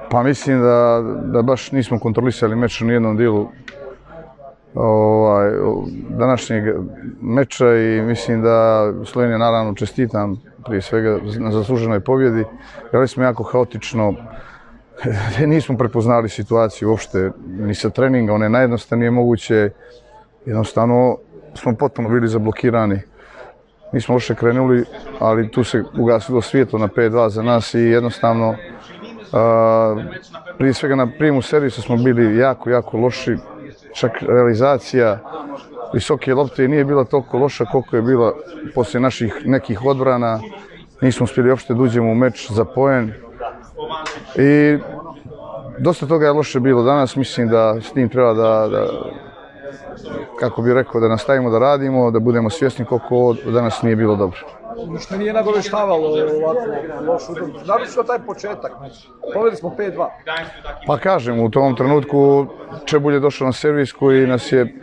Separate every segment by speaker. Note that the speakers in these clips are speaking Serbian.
Speaker 1: Pa mislim da baš nismo kontrolisali meč u nijednom dijelu današnjeg meča i mislim da Slovenija naravno čestitam prije svega na zasluženoj pobjedi. Igrali smo jako haotično, nismo prepoznali situaciju uopšte ni sa treninga, one najjednostavnije moguće. Jednostavno smo potpuno bili zablokirani. Nismo loše krenuli, ali tu se ugasilo svjetlo na 5-2 za nas i jednostavno prije svega na prijemu servisa smo bili jako loši. Čak realizacija visoke lopte nije bila toliko loša koliko je bila poslije naših nekih odbrana. Nismo uspjeli uopšte da uđemo u meč za poen. I dosta toga je loše bilo danas. Mislim da s tim treba kako bih rekao, da nastavimo da radimo, da budemo svjesni koliko ovo danas nije bilo dobro.
Speaker 2: Ništa nije nagoveštavalo ovako lošu utakmicu. Naročito taj početak. Povedali smo 5-2.
Speaker 1: Pa kažem, u tom trenutku Čebulj je došao na servis koji nas je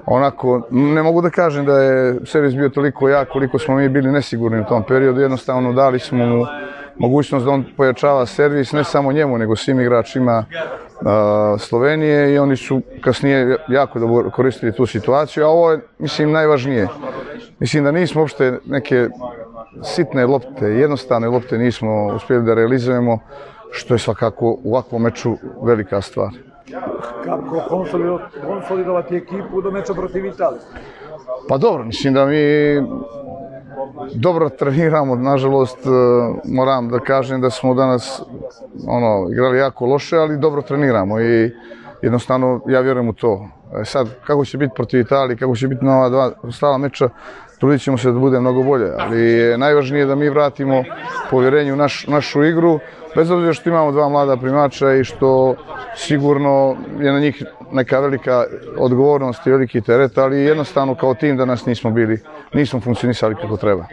Speaker 1: onako, ne mogu da kažem da je servis bio toliko jak koliko smo mi bili nesigurni u tom periodu. Jednostavno dali smo mu mogućnost da on pojačava servis, ne samo njemu, nego svim igračima Slovenije i oni su kasnije jako dobro koristili tu situaciju, a ovo je, mislim, najvažnije. Mislim da nismo uopšte neke sitne lopte, jednostavne lopte nismo uspjeli da realizujemo, što je svakako u ovakvom meču velika stvar.
Speaker 2: Kako konsolidovati ekipu do meča protiv Italije?
Speaker 1: Pa dobro, mislim da mi dobro treniramo, nažalost moram da kažem da smo danas igrali jako loše, ali dobro treniramo i jednostavno ja vjerujem u to. Sad, kako će biti protiv Italije, kako će biti na ova dva ostala meča, trudit ćemo se da bude mnogo bolje, ali je najvažnije da mi vratimo povjerenje u našu igru, bez obzira što imamo dva mlada primača i što sigurno je na njih neka velika odgovornost i veliki teret, ali jednostavno kao tim danas nismo funkcionisali kako treba.